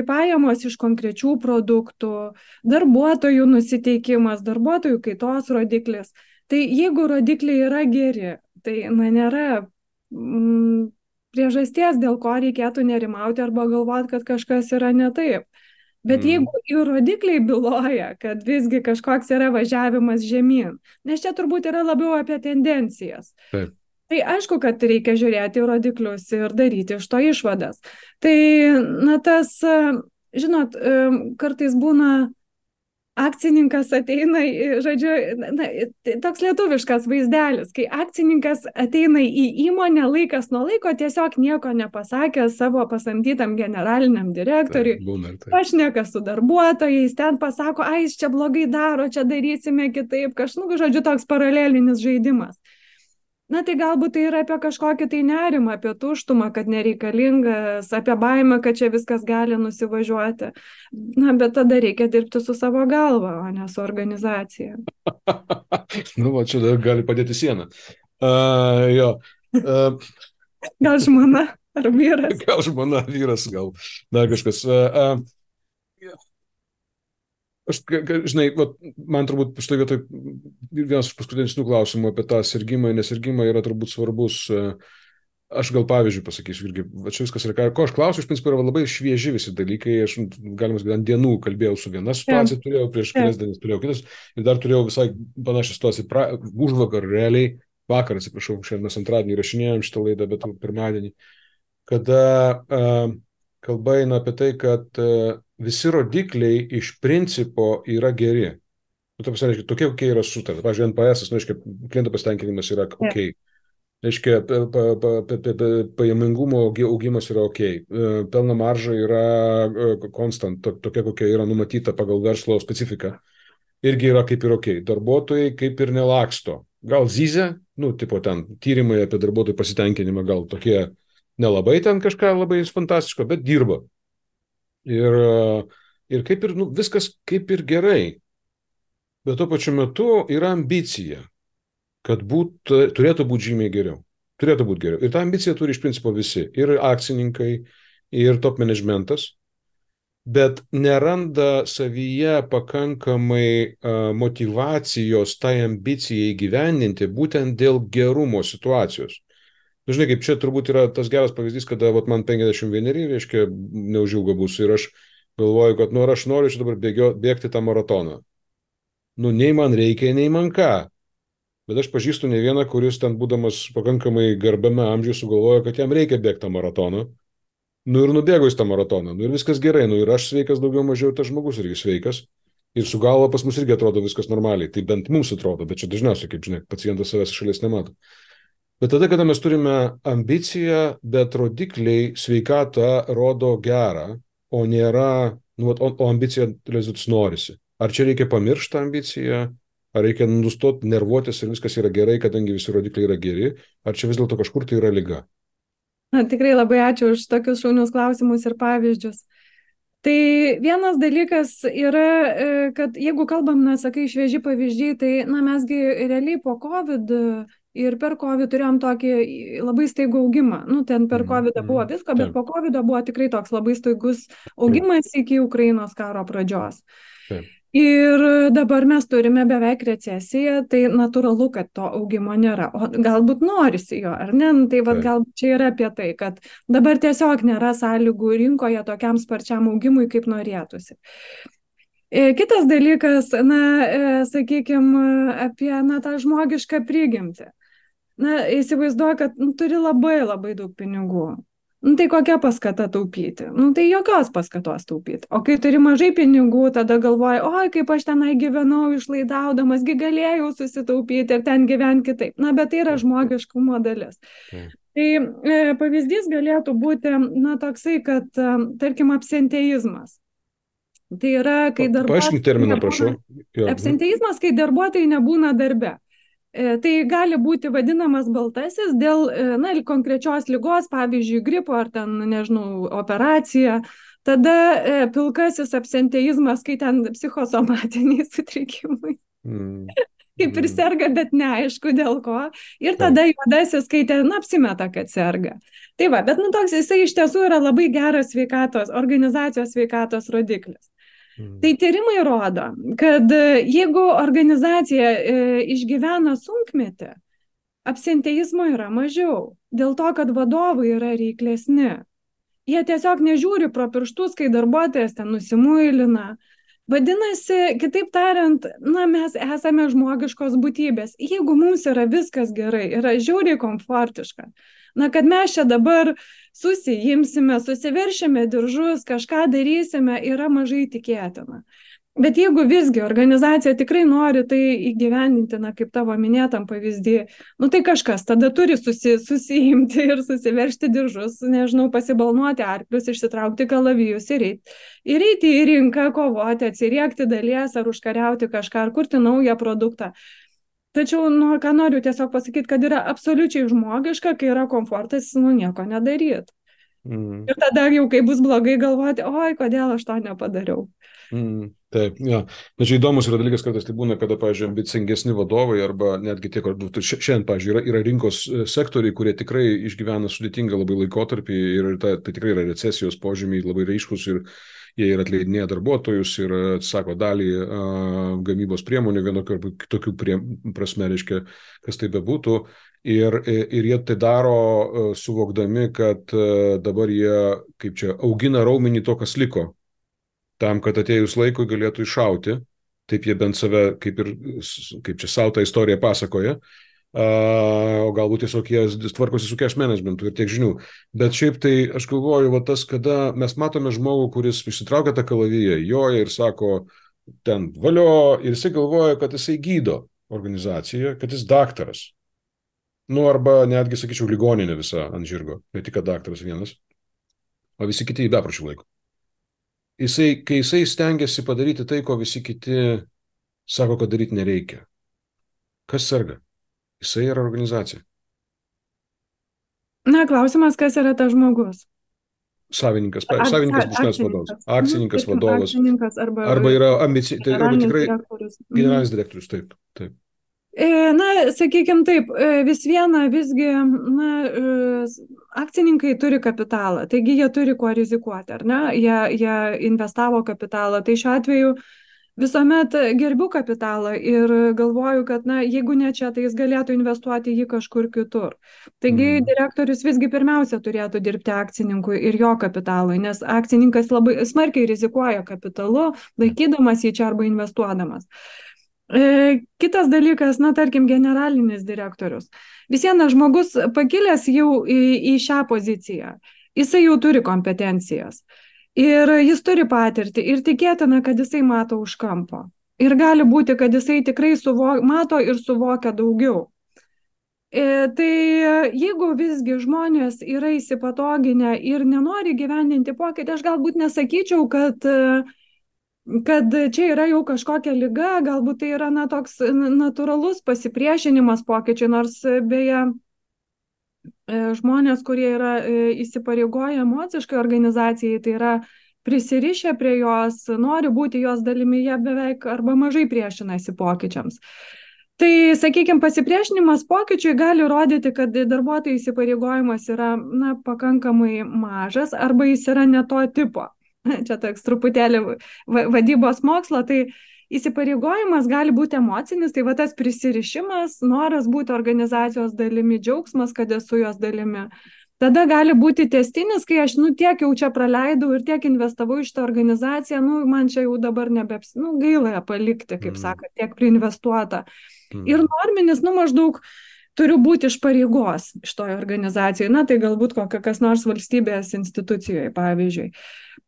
pajamos iš konkrečių produktų, darbuotojų nusiteikimas, darbuotojų kaitos rodiklis. Tai jeigu rodikliai yra geri, tai, na, nėra priežasties, dėl ko reikėtų nerimauti arba galvoti, kad kažkas yra ne taip. Bet mm. jeigu ir rodikliai byloja, kad visgi kažkoks yra važiavimas žemyn, nes čia turbūt yra labiau apie tendencijas. Taip. Tai aišku, kad reikia žiūrėti rodiklius ir daryti iš to išvadas. Tai, na, tas, žinot, kartais būna akcininkas ateina, žodžiu, na, toks lietuviškas vaizdelis, kai akcininkas ateina į įmonę laikas nuo laiko, tiesiog nieko nepasakęs savo pasamdytam generaliniam direktoriui, pašneka su darbuotojais, ten pasako, ai, jis čia blogai daro, čia darysime kitaip, kažkaip, žodžiu, toks paralelinis žaidimas. Na, tai galbūt tai yra apie kažkokį tai nerimą, apie tuštumą, kad nereikalingas, apie baimę, kad čia viskas gali nusivažiuoti. Na, bet tada reikia dirbti su savo galva, o ne su organizacija. Nu, va, čia dar gali padėti sieną. Uh, jo. Uh, gal žmona ar vyras? Gal žmona, vyras, gal dar kažkas. Uh, uh, Aš, žinai, man turbūt štai vietoj vienas iš paskutinių klausimų apie tą sirgimą, nesirgimą yra turbūt svarbus. Aš gal pavyzdžiui pasakysiu, irgi, va čia viskas yra, ko aš klausiu, iš principo yra labai švieži visi dalykai, aš galima sakyti, ant dienų kalbėjau su viena situacija, yeah. turėjau prieš kelias yeah. dienas, turėjau kitas ir dar turėjau visai panašią situaciją, pra, už vakar realiai, vakar, atsiprašau, šiandien mes antradienį įrašinėjom šitą laidą, bet pirmadienį, kada uh, kalba eina apie tai, kad uh, visi rodikliai iš principo yra geri. Nu, tai reiškia, tokie, kokie yra sutarta. Pavyzdžiui, N P S, nu, reiškia, klientų pasitenkinimas yra ok. Reiškia, pajamingumo augimas yra ok. Pelno marža yra konstant, tokia, kokia yra numatyta pagal verslo specifiką. Irgi yra kaip ir ok. Darbuotojai kaip ir nelaksto. Gal zyzia, nu, tipo ten, tyrimai apie darbuotojų pasitenkinimą gal tokie nelabai ten kažką labai fantastiško, bet dirba. Ir, ir kaip ir, nu, viskas kaip ir gerai. Bet tuo pačiu metu yra ambicija, kad būt, turėtų būti žymiai geriau. Turėtų būti geriau. Ir tą ambiciją turi iš principo visi. Ir akcininkai, ir top managementas. Bet neranda savyje pakankamai uh, motyvacijos tai ambicijai įgyvendinti būtent dėl gerumo situacijos. Žinai, kaip čia turbūt yra tas geras pavyzdys, kada vat, man penkiasdešimt vieneri, reiškia, neužilgo bus. Ir aš galvoju, kad nu, aš noriu čia dabar bėgio, bėgti tą maratoną. Nu, nei man reikia, nei man ką. Bet aš pažįstu ne vieną, kuris ten būdamas pakankamai garbiame amžiuje sugalvojo, kad jam reikia bėgti tą maratoną. Nu ir nubėgo į tą maratoną. Nu ir viskas gerai. Nu ir aš sveikas daugiau mažiau, ir tas žmogus irgi sveikas. Ir su galva pas mus irgi atrodo viskas normaliai. Tai bent mums atrodo, bet čia dažniausiai, kaip žinai, pacientas savęs šalies nemato. Bet tada, kada mes turime ambiciją, bet rodikliai sveikatą rodo gerą, o nėra, nu, o, o ambicija rezultatus norisi. Ar čia reikia pamiršti ambiciją, ar reikia nustoti nervuotis ir viskas yra gerai, kadangi visi rodikliai yra geri, ar čia vis dėlto kažkur tai yra liga? Na, tikrai labai ačiū už tokius šaunius klausimus ir pavyzdžius. Tai vienas dalykas yra, kad jeigu kalbam, na, sakai, švieži pavyzdžiai, tai, na, mesgi realiai po COVID ir per COVID turėjom tokį labai staigų augimą. Nu, ten per COVID buvo visko, bet po COVID buvo tikrai toks labai staigus augimas iki Ukrainos karo pradžios. Taip. Ir dabar mes turime beveik recesiją, tai natūralu, kad to augimo nėra, o galbūt norisi jo, ar ne? Tai vad galbūt čia yra apie tai, kad dabar tiesiog nėra sąlygų rinkoje tokiam sparčiam augimui, kaip norėtųsi. Kitas dalykas, na, sakykime, apie na, tą žmogišką prigimtį. Na, įsivaizduoju, kad nu, turi labai labai daug pinigų. Nu, tai kokia paskata taupyti? Nu, tai jokios paskatos taupyti. O kai turi mažai pinigų, tada galvoji, oi, kaip aš tenai gyvenau išlaidaudamas, gi galėjau susitaupyti ir ten gyventi kitaip. Na, bet tai yra žmogiškumo dalis. Mm. Tai e, pavyzdys galėtų būti, na, toksai, kad, e, tarkim, absenteizmas. Tai yra, kai darbuotojai... Paaiškink terminą, prašau. Absenteizmas, kai darbuotojai nebūna darbe. Tai gali būti vadinamas baltasis dėl na, konkrečios ligos, pavyzdžiui, gripo ar ten, nežinau, operacija. Tada pilkasis absenteizmas, kai ten psichosomatiniai sutrikimai. Mm. Kaip ir serga, bet neaišku dėl ko. Ir tada juodasis, kai ten apsimeta, kad serga. Tai va, bet nu, toks jisai iš tiesų yra labai geras sveikatos, organizacijos sveikatos rodiklis. Tai tyrimai rodo, kad jeigu organizacija e, išgyvena sunkmetį, absenteizmo yra mažiau, dėl to, kad vadovai yra reiklesni. Jie tiesiog nežiūri pro pirštus, kai darbuotojas ten nusimuilina. Vadinasi, kitaip tariant, na, mes esame žmogiškos būtybės. Jeigu mums yra viskas gerai, yra žiauriai komfortiška, na, kad mes čia dabar susijimsime, susiveršime diržus, kažką darysime, yra mažai tikėtina. Bet jeigu visgi organizacija tikrai nori tai įgyvendinti, na, kaip tavo minėtam pavyzdį, nu tai kažkas tada turi susi, susijimti ir susiveršti diržus, nežinau, pasibalnuoti arklius, išsitraukti kalavijus ir eiti. Ir eiti į rinką, kovoti, atsiriekti dalies ar užkariauti kažką, ar kurti naują produktą. Tačiau, nu, ką noriu tiesiog pasakyti, kad yra absoliučiai žmogiška, kai yra komfortas, nu, nieko nedaryti. Mm. Ir tada jau, kai bus blogai, galvoti, oi, kodėl aš to nepadariau. Mm, taip, ja. Na, čia įdomus yra dalykas, kartais tai būna, kada, pavyzdžiui, ambicingesni vadovai arba netgi tie, šiandien, pavyzdžiui, yra, yra rinkos sektoriai, kurie tikrai išgyvena sudėtingą labai laikotarpį ir ta, tai tikrai yra recesijos požymiai labai raiškus ir jie ir atleidinėja darbuotojus ir atsako dalį a, gamybos priemonių vienokio arba kitokių prie, prasme, reiškia, kas tai bebūtų. Ir, ir jie tai daro suvokdami, kad dabar jie, kaip čia, augina raumenį to, kas liko. Tam, kad atėjus laikui galėtų iššauti, taip jie bent save, kaip ir, kaip čia savo tą istoriją pasakoja, o galbūt tiesiog jie tvarkosi su cash managementu ir tiek žinių. Bet šiaip tai aš galvoju, va tas, kada mes matome žmogų, kuris išsitraukia tą kalaviją, joja ir sako, ten valio, ir jisai galvoja, kad jisai gydo organizaciją, kad jis daktaras. Nu, arba netgi, sakyčiau, ligoninė visa ant žirgo, ne tik daktaras vienas, o visi kiti į bepročių laiko. Jisai, kai jisai stengiasi padaryti tai, ko visi kiti sako, kad daryti nereikia. Kas serga? Jisai yra organizacija. Na, klausimas, kas yra tas žmogus? Savininkas, savininkas būšnas vadovas, akcininkas vadovas, akcininkas arba, arba yra ambici, tai arba tikrai direktorius. Generalinis direktorius, taip, taip. Na, sakykime taip, vis viena visgi, na, akcininkai turi kapitalą, taigi jie turi kuo rizikuoti, ar ne? Jie, jie investavo kapitalą, tai šiuo atveju visuomet gerbiu kapitalą ir galvoju, kad, na, jeigu ne čia, tai jis galėtų investuoti jį kažkur kitur. Taigi mm. direktorius visgi pirmiausia turėtų dirbti akcininkui ir jo kapitalui, nes akcininkas labai smarkiai rizikuoja kapitalu, laikydamas jį čia arba investuodamas. Kitas dalykas, na, tarkim, generalinis direktorius. Vis vienas žmogus pakilęs jau į, į šią poziciją, jisai jau turi kompetencijas ir jis turi patirtį ir tikėtina, kad jisai mato už kampo. Ir gali būti, kad jisai tikrai suvo, mato ir suvokia daugiau. E, tai jeigu visgi žmonės yra įsipatoginę ir nenori gyvendinti pokytį, aš galbūt nesakyčiau, kad kad čia yra jau kažkokia liga, galbūt tai yra, na, toks natūralus pasipriešinimas pokyčiai, nors beje žmonės, kurie yra įsipareigoję emociškai organizacijai, tai yra prisirišę prie jos, nori būti jos dalimi, jie beveik arba mažai priešinasi pokyčiams. Tai, sakykime, pasipriešinimas pokyčiui gali rodyti, kad darbuotojų įsipareigojimas yra, na, pakankamai mažas arba jis yra ne to tipo. Čia toks truputėlį vadybos mokslo, tai įsipareigojimas gali būti emocinis, tai va tas prisirišimas, noras būti organizacijos dalimi, džiaugsmas, kad esu jos dalimi. Tada gali būti tęstinis, kai aš, nu, tiek jau čia praleidau ir tiek investavau į šitą organizaciją, nu, man čia jau dabar nebeps, nu, gaila palikti, kaip mm. sako, tiek priinvestuota. Mm. Ir norminis, nu, maždaug turiu būti iš pareigos šitoje organizacijoje, na, tai galbūt kokia kas nors valstybės institucijoje, pavyzdžiui.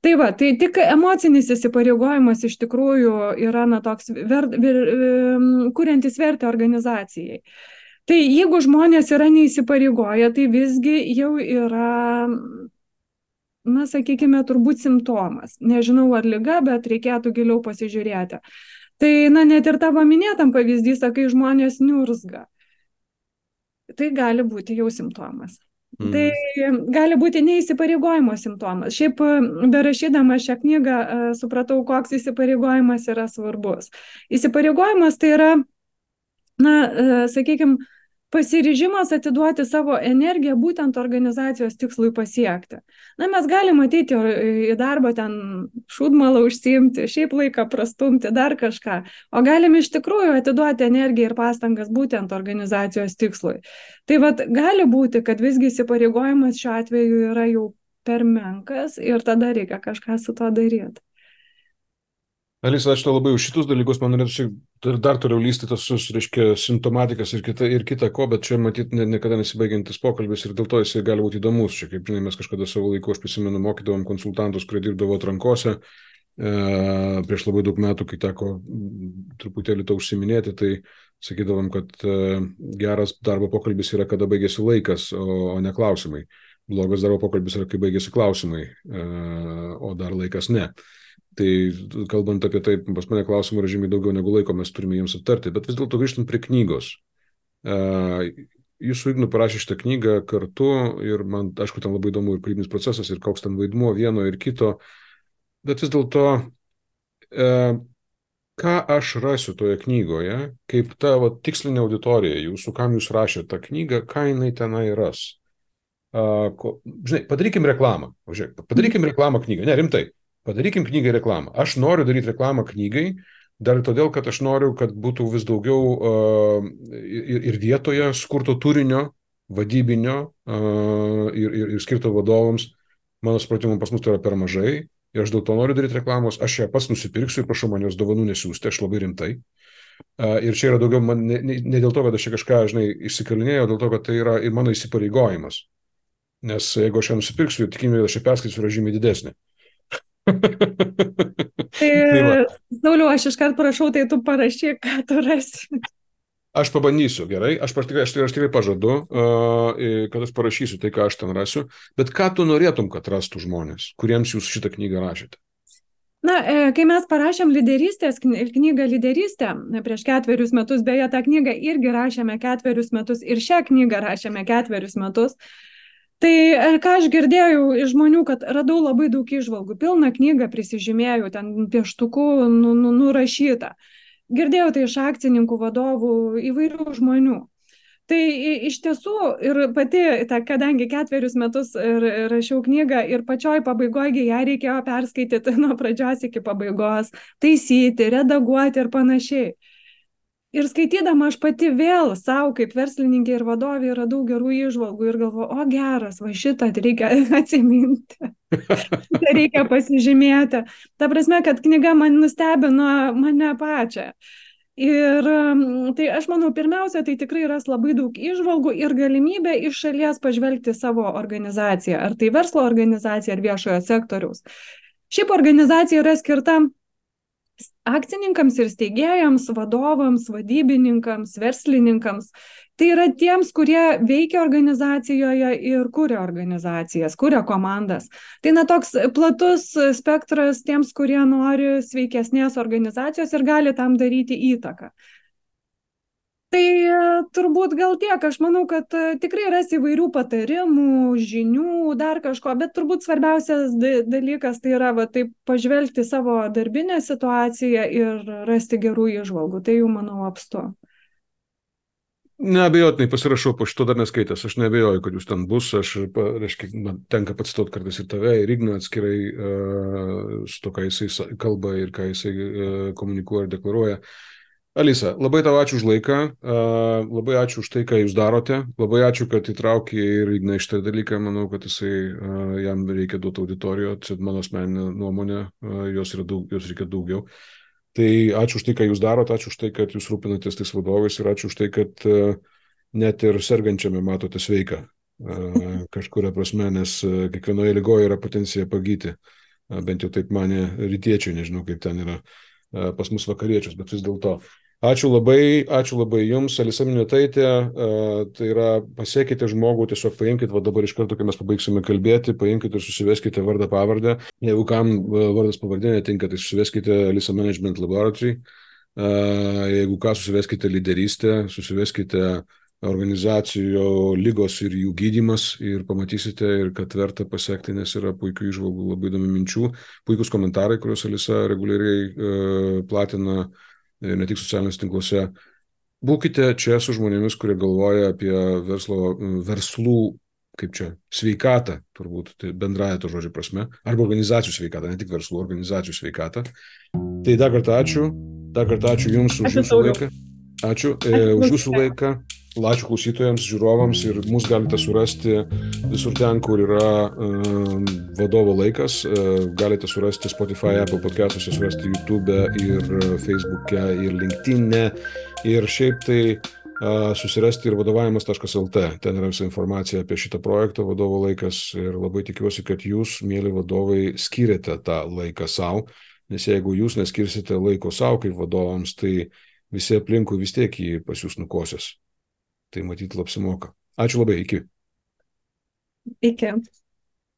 Tai va, tai tik emocinis įsipareigojimas iš tikrųjų yra, na, toks ver, ver, kuriantis vertę organizacijai. Tai jeigu žmonės yra neįsipareigoję, tai visgi jau yra, na, sakykime, turbūt simptomas. Nežinau, ar liga, bet reikėtų giliau pasižiūrėti. Tai, na, net ir tavo minėtam pavyzdys, kai žmonės niurzga. Tai gali būti jau simptomas. Mm. Tai gali būti neįsipareigojimo simptomas. Šiaip, berašydama šią knygą, supratau, koks įsipareigojimas yra svarbus. Įsipareigojimas tai yra, na, sakykime, pasiryžimas atiduoti savo energiją būtent organizacijos tikslui pasiekti. Na, mes galime ateiti į darbą ten šūdmalą užsiimti, šiaip laiką prastumti, dar kažką, o galime iš tikrųjų atiduoti energiją ir pastangas būtent organizacijos tikslui. Tai vat gali būti, kad visgi įsipareigojimas šiuo atveju yra jau per menkas ir tada reikia kažką su to daryti. Alisa, aš to labai už šitus dalykus, man norėtų dar, dar toliau lysti tas, reiškia, simptomatikas ir kita, ir kita ko, bet čia matyt ne, niekada nesibaigiantis pokalbis ir dėl to jisai gali būti įdomus. Čia, kaip žinai, mes kažkada savo laiku, aš prisimenu, mokydavom konsultantus, kurie dirbdavo atrankose. E, prieš labai daug metų, kai teko truputėlį to užsiminėti, tai sakydavom, kad e, geras darbo pokalbis yra, kada baigėsi laikas, o, o ne klausimai. Blogas darbo pokalbis yra, kai baigėsi klausimai, e, o dar laikas ne. Tai kalbant apie tai, pas mane klausimų yra žymiai daugiau negu laiko mes turime jiems aptarti, bet vis dėlto grįžtant prie knygos. Jūs su Ignu parašė šitą knygą kartu ir man, aišku, ten labai įdomu ir kūrybinis procesas ir koks ten vaidmuo vieno ir kito, bet vis dėlto, ką aš rasiu toje knygoje, kaip ta va, tikslinė auditorija jūsų, kam jūs rašėte tą knygą, ką jinai tenai ras. Ko, žinai, padarykim reklamą, žiūrėk, padarykim reklamą knygą, ne, rimtai. Padarykim knygai reklamą. Aš noriu daryti reklamą knygai, dar todėl, kad aš noriu, kad būtų vis daugiau uh, ir, ir vietoje skurto turinio, vadybinio uh, ir, ir, ir skirto vadovams. Mano supratimu, pas mus tai yra per mažai ir aš dėl to noriu daryti reklamos. Aš ją pats nusipirksiu ir prašau man jos dovanų nesiųsti, aš labai rimtai. Ir čia yra daugiau, man, ne, ne dėl to, kad aš čia kažką, žinai, išsikalinėjau, dėl to, kad tai yra ir mano įsipareigojimas. Nes jeigu aš ją nusipirksiu, tikimybė, kad aš ją perskaitysiu, yra žymiai didesnė. Tai, Tai va, Sauliau, aš iškart prašau, tai tu parašyk, ką tu rasi. aš pabandysiu, gerai, aš, aš, tikrai, aš, tikrai- aš tikrai pažadu, uh, kad aš parašysiu tai, ką aš ten rasiu, bet ką tu norėtum, kad rastų žmonės, kuriems jūs šitą knygą rašėte? Na, e, kai mes parašėm lyderystės kny- knygą lyderystę e, prieš ketverius metus, beje, tą knygą irgi rašėme ketverius metus ir šią knygą rašėme ketverius metus, tai e, ką aš girdėjau iš žmonių, kad radau labai daug įžvalgų, pilną knygą prisižymėjau, ten pieštuku nu, nu, nurašyta. Girdėjau tai iš akcininkų, vadovų, įvairių žmonių. Tai i- iš tiesų ir pati, ta, kadangi ketverius metus ir, ir rašiau knygą ir pačioj pabaigoje ją reikėjo perskaityti nuo pradžios iki pabaigos, taisyti, redaguoti ir panašiai. Ir skaitydama aš pati vėl savo kaip verslininkė ir vadovė radau gerų įžvalgų ir galvoju, o geras, va šitą reikia atsiminti, šitą reikia pasižymėti. Ta prasme, kad knyga man nustebino mane pačią. Ir um, tai aš manau, pirmiausia, tai tikrai ras labai daug įžvalgų ir galimybę iš šalies pažvelgti savo organizaciją, ar tai verslo organizacija, ar viešojo sektoriaus. Šiaip organizacija yra skirta akcininkams ir steigėjams, vadovams, vadybininkams, verslininkams. Tai yra tiems, kurie veikia organizacijoje ir kuria organizacijas, kuria komandas. Tai na toks platus spektras tiems, kurie nori sveikesnės organizacijos ir gali tam daryti įtaką. Tai e, turbūt gal tiek, aš manau, kad e, tikrai ras įvairių patarimų, žinių, dar kažko, bet turbūt svarbiausias da- dalykas tai yra va, taip pažvelgti savo darbinę situaciją ir rasti gerų įžvalgų. Tai jau manau apstu. Neabejotinai pasirašau po šito dar neskaitęs, aš neabejoju, kad jūs ten bus, aš, pa- reiškia, man tenka pacituoti kartais ir tave, ir Igną atskirai uh, su to, ką jisai sa- kalba ir ką jisai uh, komunikuoja ir deklaruoja. Alisa, labai tau ačiū už laiką, uh, labai ačiū už tai, ką jūs darote, labai ačiū, kad įtraukė ir Igną iš tą dalyką, manau, kad jisai, uh, jam reikia duoti auditorijo, čia mano asmeninė nuomonė, uh, jos, yra daug, jos reikia daugiau. Tai ačiū už tai, ką jūs darote, ačiū už tai, kad jūs rūpinatės tais vadovais ir ačiū už tai, kad uh, net ir sergančiame matote sveiką uh, kažkuria prasme, nes uh, kiekvienoje lygoje yra potencija pagyti, uh, bent jau taip mane rytiečiai, nežinau kaip ten yra uh, pas mus vakariečius, bet vis dėlto. Ačiū labai, ačiū labai jums, Alisa Miniotaitė, uh, tai yra pasiekite žmogų, tiesiog paimkite, va dabar iš karto, kai mes pabaigsime kalbėti, paimkite ir susiveskite vardą pavardę. Jeigu kam uh, vardas pavardė netinka, tai susiveskite Alisa Management Laboratory. Uh, jeigu ką, susiveskite lyderystę, susiveskite organizacijų lygos ir jų gydymas ir pamatysite, ir kad verta pasiekti, nes yra puikių įžvalgų, labai įdomių minčių, puikus komentarai, kuriuos Alisa reguliariai uh, platina ne tik socialiniuose tinkluose. Būkite čia su žmonėmis, kurie galvoja apie verslo, verslų, kaip čia, sveikatą, turbūt tai bendraja to žodžio prasme, arba organizacijų sveikatą, ne tik verslų, organizacijų sveikatą. Tai dar kartą ačiū, dar kartą ačiū Jums už Ačiū, Jūsų Sauliau. laiką. Ačiū, e, Ačiū už Jūsų klausytojams. laiką. Ačiū klausytojams, žiūrovams ir mus galite surasti visur ten, kur yra um, vadovo laikas. Uh, galite surasti Spotify, Apple podcastuose, surasti YouTube ir Facebook'e ir LinkedIn'e. Ir šiaip tai uh, susirasti ir vadovavimas taškas el te. Ten yra visa informacija apie šitą projektą vadovo laikas. Ir labai tikiuosi, kad jūs, mėly vadovai, skiriate tą laiką savo. Nes jeigu jūs neskirsite laiko savo kaip vadovams, tai visi aplinkui vis tiek jį pas jūs nukosios. Tai matyti apsimoka. Ačiū labai, iki. Iki.